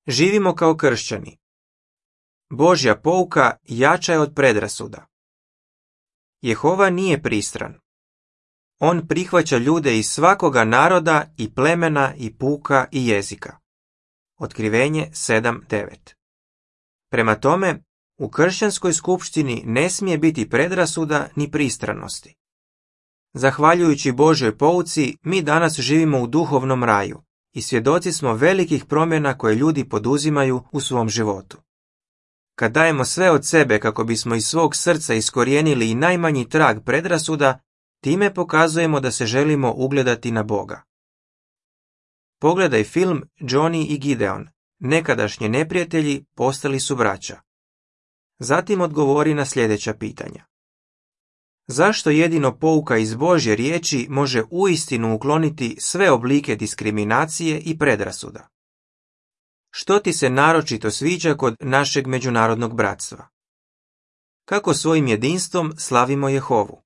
Živimo kao kršćani. Božja pouka jača je od predrasuda. Jehova nije pristran. On prihvaća ljude iz svakoga naroda i plemena i puka i jezika. Otkrivenje 7:9. Prema tome, u kršćanskoj skupštini ne smije biti predrasuda ni pristranosti. Zahvaljujući Božjoj pouci, mi danas živimo u duhovnom raju i svjedoci smo velikih promjena koje ljudi poduzimaju u svom životu. Kad dajemo sve od sebe kako bismo iz svog srca iskorijenili i najmanji trag predrasuda, time pokazujemo da se želimo ugledati na Boga. Pogledaj film Johnny i Gideon. Nekadašnji neprijatelji postali su braća. Zatim odgovori na sljedeća pitanja. Zašto jedino pouka iz Božje riječi može uistinu ukloniti sve oblike diskriminacije i predrasuda? Što ti se naročito sviđa kod našeg međunarodnog bratstva? Kako svojim jedinstvom slavimo Jehovu?